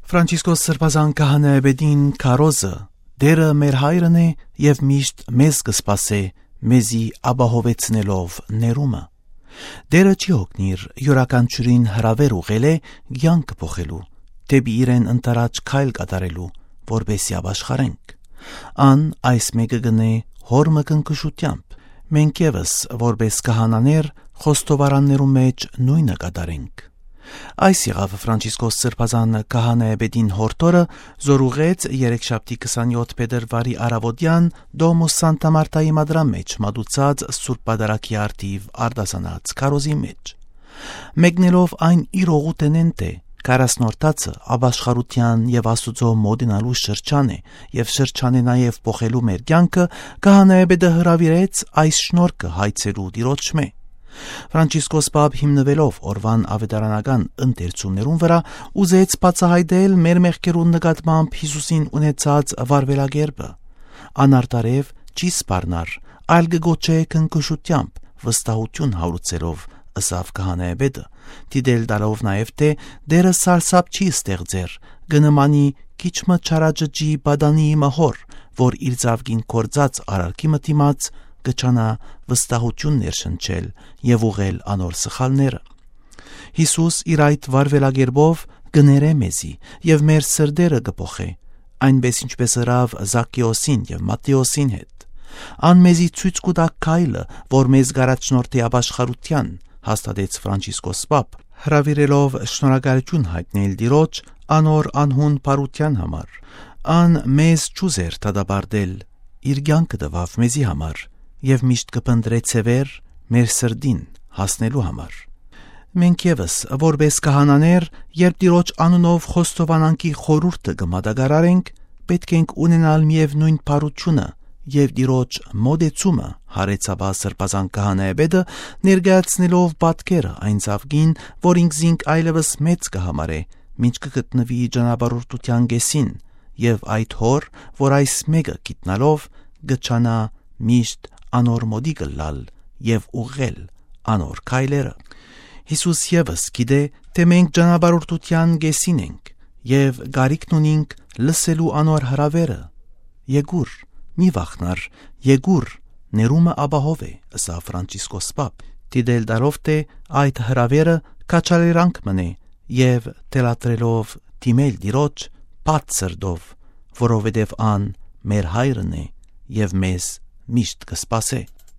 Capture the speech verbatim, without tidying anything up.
Ֆրանցիսկոս Սրբազան Քահանայապետին քարոզը. «Տէրը մեր հայրն է եւ միշտ մեզ կը սպասէ, մեզի ապահովեցնելով ներումը»։ Տէրը չի յոգնիր, իւրաքանչիւրին հրաւէր ուղղել է կեանքը փոխելու, դէպի իրեն ընդառաջ քայլ կատարելու, որպէսզի ապաշխարենք։ Ան այս մէկը կ'ընէ հօր մը քնքուշութեամբ։ Մենք եւս, որպէս քահանաներ, խոստովարաններու մէջ նոյնը կատարենք։ Այս եղաւ Ֆրանցիսկոս Սրբազան Քահանայապետին յորդորը, զոր ուղղեց երեքշաբթի քսանեօթ փետրուարի առաւօտեան Դոմուս Սանտա Մարտայի մադրան մէջ մատուցած Սուրբ Պատարագի առթիւ արտասանած քարոզի մէջ։ Մեկնելով այն իր օղուտենէն, թէ քառասնորդացը ապաշխարութեան եւ Աստուծոյ մօտենալու շրջան է եւ շրջան է նաեւ փոխելու մեր կեանքը, քահանայապետը հրաւիրեց այս շնորհքը հայցելու Տիրոջմէ։ Ֆրանցիսկոս Պապ, հիմնուելով օրուան աւետարանական ընթերցումներուն վրայ, ուզեց բացայայտել մեր մեղքերուն նկատմամբ Յիսուսին ունեցած վարուելակերպը։ Ան արդարեւ չի սպառնար, այլ կը գոչէ քնքուշութեամբ, վստահութիւն հարուցելով, ըսաւ քահանայապետը, դիտել տալով նաեւ, թէ Տէրը սարսափ չի ստեղծեր, կը նմանի քիչ մը չարաճճի պատանիի մը հօր, որ իր ծավկին կործած արարքի մը դիմաց կը ջանայ վստահութիւն ներշնչել եւ ուղղել անոր սխալները։ Յիսուս իր այդ վարուելակերպով կը ներէ մեզի եւ մեր սրտերը կը փոխէ, այնպէս ինչպէս ըրաւ Զաքէոսին եւ Մատթէոսին հետ։ Ան մեզի ցոյց կու տայ քայլը, որ մեզ կ'առաջնորդի ապաշխարութեան, հաստատեց Ֆրանցիսկոս Պապ, հրաւիրելով շնորհակալութիւն յայտնել Տիրոջ անոր անհուն բարութեան համար։ Ան մեզ չուզեր դատապարտել, իր կեանքը տուաւ մեզի համար եւ միշտ կը փնտռէ ձեւեր մեր սրտին հասնելու համար։ Մենք եւս, որպէս քահանաներ, երբ Տիրոջ անունով խոստովանանքի խորհուրդը կը մատակարարենք, պէտք ենք ունենալ միեւնոյն բարութիւնը եւ Տիրոջ մօտեցումը, յարեց ապա Սրբազան Քահանայապետը, ներկայացնելով պատկերը այն ծավկին, որ ինքզինք այլեւս մեծ կը համարէ, մինչ կը գտնուի ճանապարհորդութեան կեսին, եւ այդ հօր, որ այս մէկը գիտնալով, կը ջանայ միշտ անոր մօտիկ ըլլալ եւ ուղղել անոր քայլերը։ Յիսուս եւս գիտէ, թէ մենք ճանապարհորդութեան կեսին ենք եւ կարիքն ունինք լսելու անոր հրաւերը. «Եկուր, մի վախնար, եկուր, ներումը ապահով է», ըսաւ Ֆրանցիսկոս Պապ, դիտել տալով, թէ այդ հրաւերը քաջալերանք մըն է, եւ թելադրելով դիմել Տիրոջ բաց սրտով, որովհետեւ ան մեր հայրն է եւ մեզ միշտ կը սպասէ։